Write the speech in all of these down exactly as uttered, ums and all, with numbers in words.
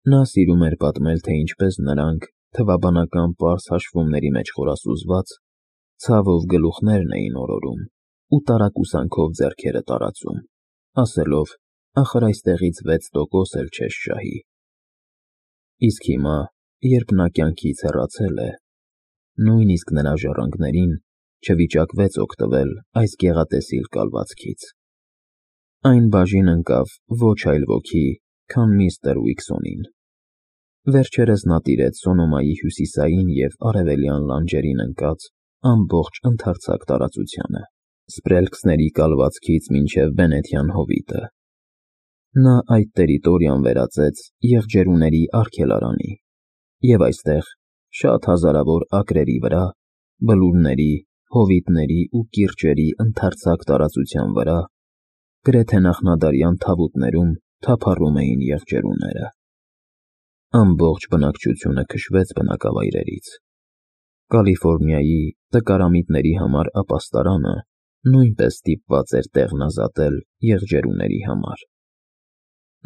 Նա սիրում էր պատմել, թե ինչպես նրանք, թվաբանական պարզ հաշվումների մեջ խորասուզված, ցավով գլուխներն էին օրորում ու տարակուսանքով ձեռքերը տարածում, ասելով, ախր այստեղից վեց տոկոս էլ չես շահի։ Իսկ հիմա, երբ նա կյանքից հեռացել է, նույնիսկ նրա ժառանգներին չվիճակվեց օգտվել այս գեղատեսիլ կալվածքից։ Այն բաժին ընկավ ոչ այլ ոքի, քան միստր Ուիքսոնին։ Վերջերս նա տիրեց Սոնոմայի հյուսիսային և արևելյան լանջերին ընկած ամբողջ ընդարձակ տարածությանը, սպրելքսների կալվածքից մինչև Վենետյան հովիտը։ Նա այդ տերիտորիան վերածեց եղջերուների արգելարանի, և այստեղ, շատ հազարավոր ակրերի վրա, բլուրների, հովիտների ու կիրճերի ընդարձակ տարածության վրա, գրեթե նախնադարյան թավուտներում թափառում էին եղջերուները։ Ամբողջ բնակչությունը քշվեց բնակավայրերից։ Կալիֆոռնիայի տկարամիտների համար ապաստարանը նույնպես ստիպված էր տեղն ազատել եղջերուների համար։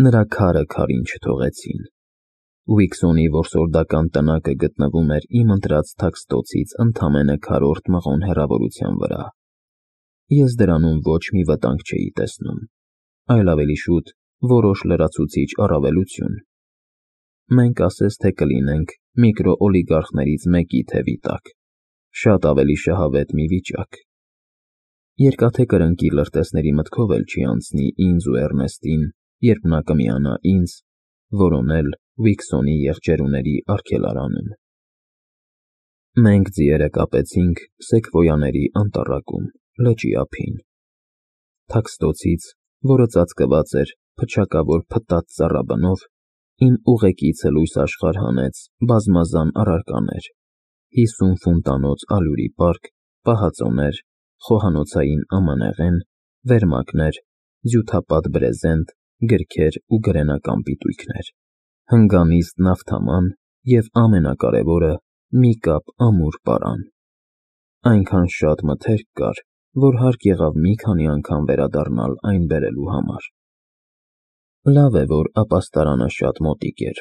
Նրա քարը քարին չթողեցին։ Ուիքսոնի որսորդական տնակը գտնվում էր իմ ընտրած թաքստոցից ընդամենը քառորդ մղոն հեռավորության վրա։ Ես դրանում ոչ մի վտանգ չէի տեսնում, այլ ավելի շուտ որոշ լրացուցիչ առավելություն։ Մենք ասես թե կլինենք միկրոօլիգարխներից մեկի թևի տակ, շատ ավելի շահավետ մի վիճակ։ Երկաթե կրնկի լրտեսների մտքով էլ չի անցնի ինձ ու Էռնեստին, երբ նա կմիանա ինձ, որոնել Ուիքսոնի եղջերուների արգելարանում։ Մենք ձիերը կապեցինք սեկվոյաների անտառակում, լճի ափին։ Թաքստոցից, որը ծածկված էր փչակավոր փտած ծառաբնով, իմ ուղեկիցը լույս աշխարհ հանեց բազմազան առարկաներ՝ հիսուն ֆունտանոց ալյուրի պարկ, պահածոներ, խոհանոցային ամանեղեն, վերմակներ, զյութապատ բրեզենտ, գրքեր ու գրենական պիտույքներ, հնգանիստ նավթաման և, ամենակարևորը, մի կապ ամուր պարան։ Այնքան շատ մթերք կար, որ հարկ եղավ մի քանի անգամ վերադառնալ այն բերելու համար։ Լավ է, որ ապաստարանը շատ մոտիկ էր,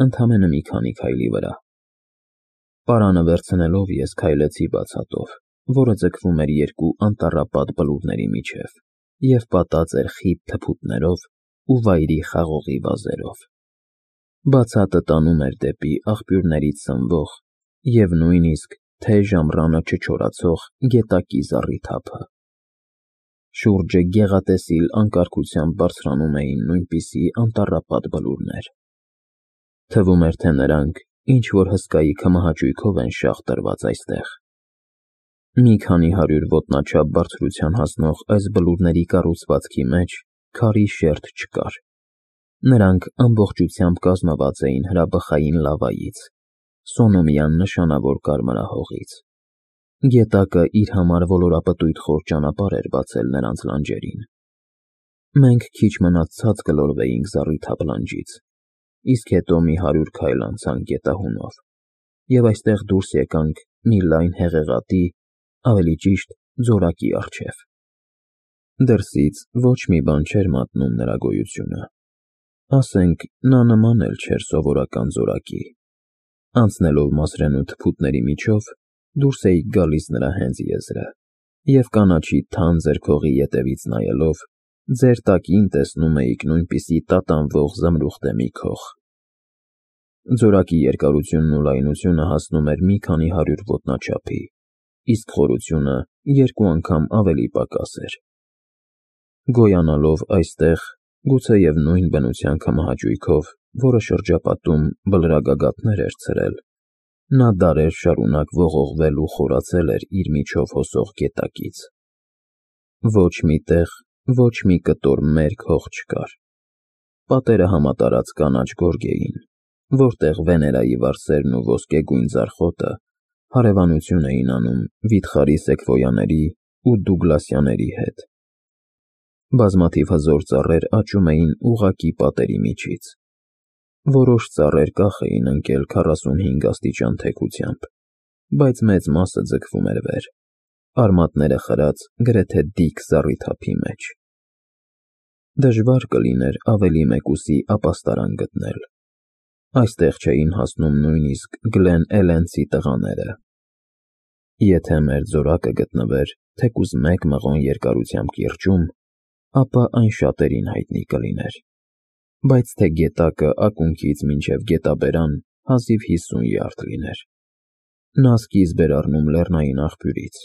ընդամենը մի քանի քայլի վրա։ Պարանը վերցնելով ես քայլեցի բացատով, որը ձգվում էր երկու անտառապատ բլուրների միջև և պատած էր խիտ թփուտներով ու վայրի խաղողի վազերով։ Բացատը տանում էր դեպի աղբյուրներից սնվող և նույնիսկ թեժ ամռանը չչորացող գետակի զառիթափը։ Շուրջը գեղատեսիլ անկարգությամբ բարձրանում էին նույնպիսի անտառապատ բլուրներ։ Թվում էր, թե նրանք ինչ-որ հսկայի քմահաճույքով են շաղ տրված այստեղ։ Մի քանի հարյուր ոտնաչափ բարձրության հասնող այս բլուրների կառուցվածքի մեջ քարի շերտ չկար։ Նրանք ամբողջությամբ կազմված էին հրաբխային լավայից, Սոնոմյան նշանավոր կարմրահողից։ Գետակը իր համար ոլորապտույտ խոր ճանապարհ էր բացել նրանց լանջերին։ Մենք քիչ մնաց ցած գլորվեինք զառիթափ լանջից, իսկ հետո մի հարյուր քայլ անցանք գետահունով, և այստեղ դուրս եկանք մի լայն հեղեղատի, ավելի ճիշտ ձորակի առջև։ Դրսից ոչ մի բան չէր մատնում նրա գոյությունը։ Ասենք, նա նման էլ չէր սովորական ձորակի։ Անցնելով մասրենու թփուտների միջով, դուրս էիք գալիս նրա հենց եզրը, և կանաչի թանձր քողի ետևից նայելով, ձեր տակին տեսնում էիք նույնպիսի տատանվող զմրուխտե մի քող։ Ձորակի երկարությունն ու լայնությունը հասնում էր մի քանի հարյուր ոտնաչափի, իսկ խորությունը երկու անգամ ավելի պակաս էր։ Գոյանալով այստեղ, գուցեև նույն բնության քմահաճույքով, որը շրջապատում բլրագագաթներ էր ցրել, նա դարեր շարունակ ողողվել ու խորացել էր իր միջով հոսող գետակից։ Ոչ մի տեղ, ոչ մի կտոր մերկ հող չկար։ Պատերը համատարած կանաչ գորգ էին, որտեղ Վեներայի վարսերն ու ոսկեգույն ձարխոտը հարևանություն էին անում վիթխարի սեկվոյաների ու դուգլասյաների հետ։ Բազմաթիվ հզոր ծառեր աճում էին ուղղակի պատերի միջից։ Որոշ ծառեր կախ էին ընկել քառասունհինգ աստիճան թեքությամբ, բայց մեծ մասը ձգվում էր վեր, արմատները խրած գրեթե դիք զառիթափի մեջ։ Դժվար կլիներ ավելի մեկուսի ապաստարան գտնել։ Այստեղ չէին հասնում նույնիսկ Գլեն Էլենցի տղաները։ Եթե մեր ձորակը գտնվեր թեկուզ մեկ մղոն երկարությամբ կիրճում, ապա այն շատերին հայտնի կլիներ, բայց թե գետակը ակունքից մինչև գետաբերան հազիվ հիսուն յարդ լիներ։ Նա սկիզբ էր առնում լեռնային աղբյուրից,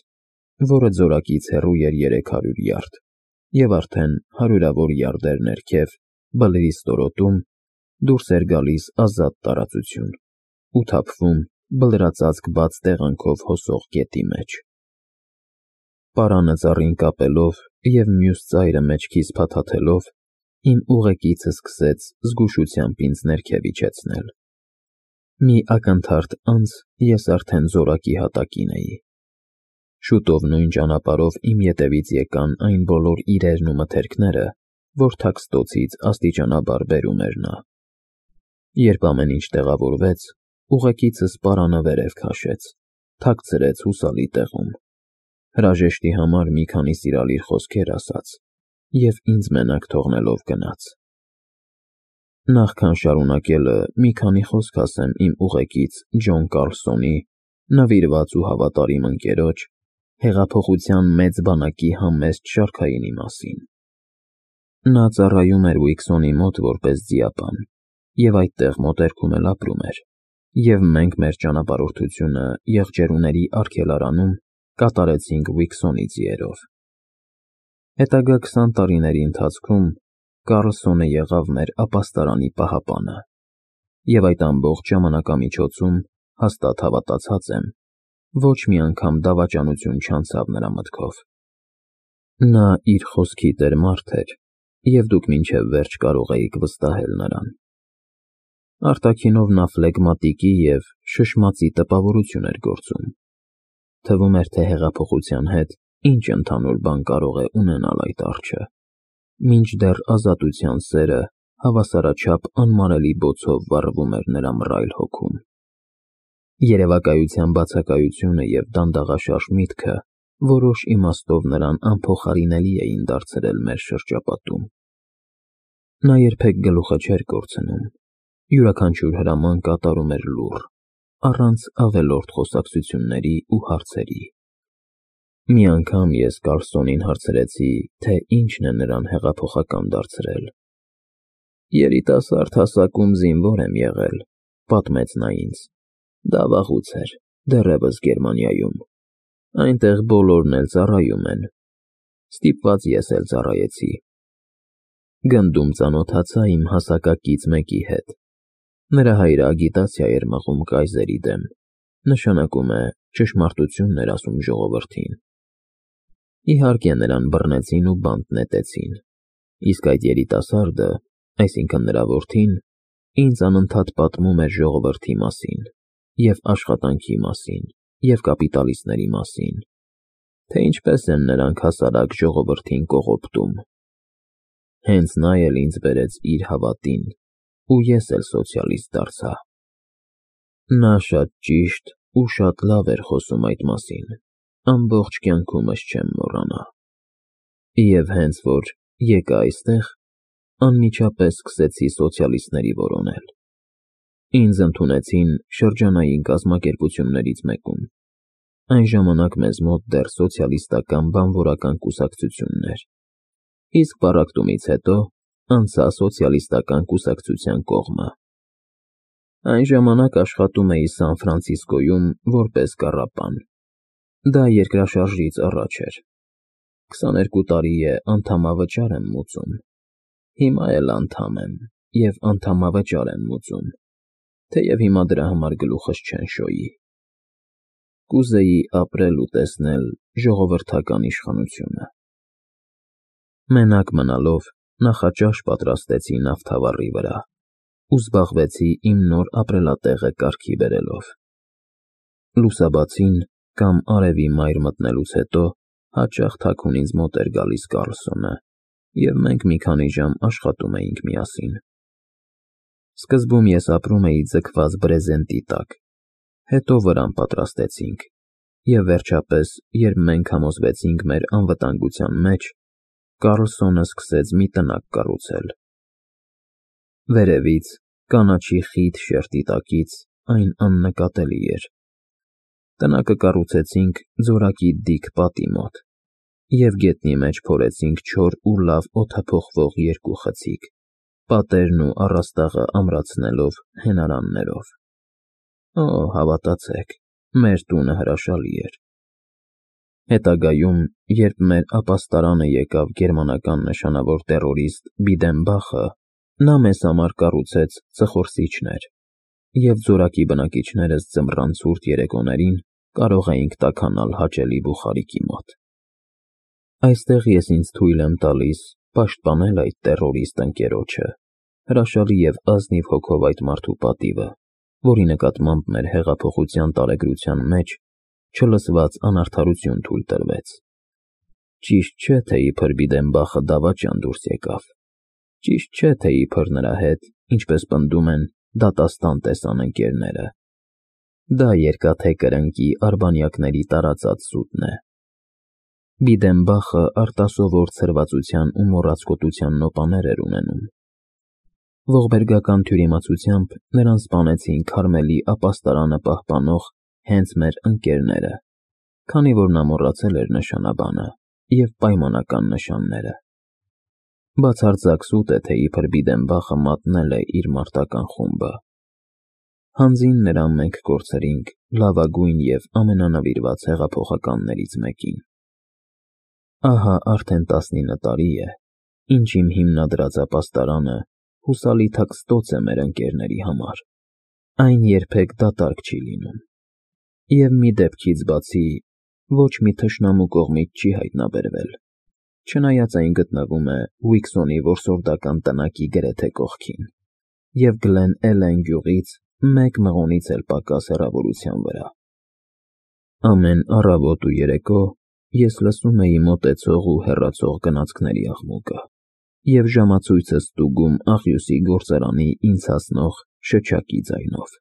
որը ձորակից հեռու էր երեք հարյուր յարդ, և արդեն հարյուրավոր յարդեր ներքև, բլրի ստորոտում, դուրս էր գալիս ազատ տարածություն ու թափվում բլրածածկ բաց տեղանքով հոսող գետի մեջ։ Պարանը ծառին կապելով և մյուս ծայրը մեջքիս փաթաթելով, իմ ուղեկիցը սկսեց զգուշությամբ ինձ ներքև իջեցնել։ Մի ակնթարթ անց ես արդեն ձորակի հատակին էի։ Շուտով նույն ճանապարհով իմ ետևից եկան այն բոլոր իրերն ու մթերքները, որ Թաքստոցից աստիճանաբար բերում էր նա։ Երբ ամեն ինչ տեղավորվեց, ուղեկիցս պարանը վերև քաշեց, թաքցրեց հուսալի տեղում, հրաժեշտի համար մի քանի սիրալիր խոսքեր ասաց և ինձ մենակ թողնելով գնաց։ Նախքան շարունակելը մի քանի խոսք ասեմ իմ ուղեկից Ջոն Կարլսոնի, նվիրված ու հավատարիմ ընկերոջ, հեղափոխության մեծ բանակի համեստ շարքայինի մասին։ Նա ծառայում էր Ուիքսոնի մոտ որպես ձիապան և այդտեղ մոտերքում էլ ապրում էր, և մենք մեր ճանապարհորդությունը եղջերուների արգելարանում կատարեցինք Ուիքսոնի ձիերով։ Հետագա քսան տարիների ընթացքում Կարլսոնը եղավ մեր ապաստարանի պահապանը, և այդ ամբողջ ժամանակամիջոցում հաստատ հավատացած եմ, ոչ մի անգամ դավաճանություն չանցավ նրա մտքով։ Նա իր խոսքի տեր մարդ էր, և դուք մինչև վերջ կարող էիք վստահել նրան։ Արտաքինով նա ֆլեգմատիկի և շշմածի տպավորություն էր գործում։ Թվում էր, թե հեղափոխության հետ ինչ ընդհանուր բան կարող է ունենալ այդ արջը, մինչդեռ ազատության սերը հավասարաչափ անմարելի բոցով վառվում էր նրա մռայլ հոգում։ Երևակայության բացակայությունը և դանդաղաշարժ միտքը որոշ իմաստով նրան անփոխարինելի էին դարձրել մեր շրջապատում։ Նա երբեք գլուխը չէր կորցնում, յուրաքանչյուր հրաման կատարում էր լուռ, առանց ավելորդ խոսակցությունների ու հարցերի։ Մի անգամ ես Կարլսոնին հարցրեցի, թե ինչն է նրան հեղափոխական դարձրել։ «Երիտասարդ հասակում զինվոր եմ եղել», պատմեց նա ինձ։ «Դա վաղուց էր, դեռևս Գերմանիայում։ Այնտեղ բոլորն էլ ծառայում են։ Ստիպված ես էլ ծառայեցի։ Գնդում ծանոթացա իմ հասակակից մեկի հետ։ Նրա հայրը ագիտացիա էր մղում կայզերի դեմ, նշանակում է ճշմարտությունն էր ասում ժողովրդին։ Իհարկե նրան բռնեցին ու բանտ նետեցին, իսկ այդ երիտասարդը, այսինքն նրա որդին, ինձ անընդհատ պատմում էր ժողովրդի մասին, և աշխատանքի մասին, և կապիտալիստների մասին, թե ինչպես են նրանք հասարակ ժողովրդին կողոպտում։ Հենց նա էլ ինձ բերեց իր հավատին, ու ես էլ սոցիալիստ դարձա։ Նա շատ ճիշտ ու շատ լավ էր խոսում այդ մասին, ամբողջ կյանքումս չեմ մոռանա։ Եվ հենց որ եկա այստեղ, անմիջապես սկսեցի սոցիալիստների որոնել։ Ինձ ընդունեցին շրջանային կազմակերպություններից մեկում։ Այն ժամանակ մեզ մոտ դեռ սոցիալիստական բանվորական կուսակցությունն էր, իսկ պառակտումից հետո անցա սոցիալիստական կուսակցության կողմը։ Այն ժամանակ աշխատում էի Սան Ֆրանցիսկոյում որպես կառապան։ Դա երկրաշարժից առաջ էր։ քսաներկու տարի է անդամավճար եմ մուծում։ Հիմա էլ անդամ եմ և անդամավճար եմ մուծում, թեև հիմա դրա համար գլուխս չեն շոյի։ Կուզեի ապրել ու տեսնել ժողովրդական իշխանությունը։ Մենակ մնալով նախաճաշ պատրաստեցի նավթավառի վրա ու զբաղվեցի իմ նոր ապրելատեղը կարգի բերելով։ Լուսաբացին կամ արևի մայր մտնելուց հետո հաճախ թաքուն ինձ մոտ էր գալիս Կարլսոնը, և մենք մի քանի ժամ աշխատում էինք միասին։ Սկզբում ես ապրում էի ձգված բրեզենտի տակ, հետո վրան պատրաստեցինք, և վերջապես, երբ մենք համոզվեցինք մեր անվտանգության մեջ, Կարլսոնը սկսեց մի տնակ կառուցել։ Վերևից, Կանաչի խիտ շերտի տակից այն աննկատելի էր։ Տնակը կառուցեցինք ձորակի դիք պատի մոտ և գետնի մեջ փորեցինք չոր ու լավ օդափոխվող երկու խցիկ, պատերն ու առաստաղը ամրացնելով հենարաններով։ Օ, հավատացեք, մեր տունը հրաշալի էր։ Հետագայում, երբ մեր ապաստարանը եկավ գերմանական նշանավոր տեռորիստ Բիդենբախը, նա մեզ համար կառուցեց ծխորսիչներ, և ձորակի բնակիչներս ձմռան ցուրտ երեկոներին կարող էինք տաքանալ հաճելի բուխարիկի մոտ։ Այստեղ ես ինձ թույլ եմ տալիս պաշտպանել այդ տեռորիստ ընկերոջը, հրաշալի և ազնիվ հոգով այդ մարդու պատիվը, որի նկատմամբ մեր հեղափոխության տարեգրության մեջ չլսված անարդարություն թույլ տրվեց։ Ճիշտ չէ, թե իբր Բիդենբախը դավաճան դուրս եկավ։ Ճիշտ չէ, թե իբր նրա հետ, ինչպես պնդում են, դատաստան տեսան ընկերները։ Դա երկաթե կրնկի արբանյակների տարածած սուտն է։ Բիդենբախը արտասովոր ցրվածության ու մոռացկոտության նոպաներ էր ունենում։ Ողբերգական թյուրիմացությամբ նրան սպանեցին Քարմելի ապաստարանը պահպանող հենց մեր ընկերները, քանի որ նա մոռացել էր նշանաբանը և պայմանական նշանները։ Բացարձակ սուտ է, թե իբր Բիդենբախը մատնել է իր մարտական խումբը։ Հանձին նրան մենք կորցրինք լավագույն և ամենանվիրված հեղափոխականներից մեկին։ Ահա արդեն տասնինը տարի է, ինչ իմ հիմնադրած ապաստարանը հուսալի թաքստոց է մեր ընկերների համար։ Այն երբեք դատարկ չի լինում։ Եվ մի դեպքից բացի, ոչ մի թշնամու կողմից չի հայտնաբերվել, չնայած այն գտնվում է Ուիքսոնի որսորդական տնակի գրեթե կողքին և Գլեն Էլեն գյուղից մեկ մղոնից էլ պակաս հեռավորության վրա։ Ամեն առավոտ ու երեկո ես լսում էի մոտեցող ու հեռացող գնացքների աղմուկը և ժամացույցը ստուգում աղյուսի գործարանի ինձ հասնող շչակի ձայնով։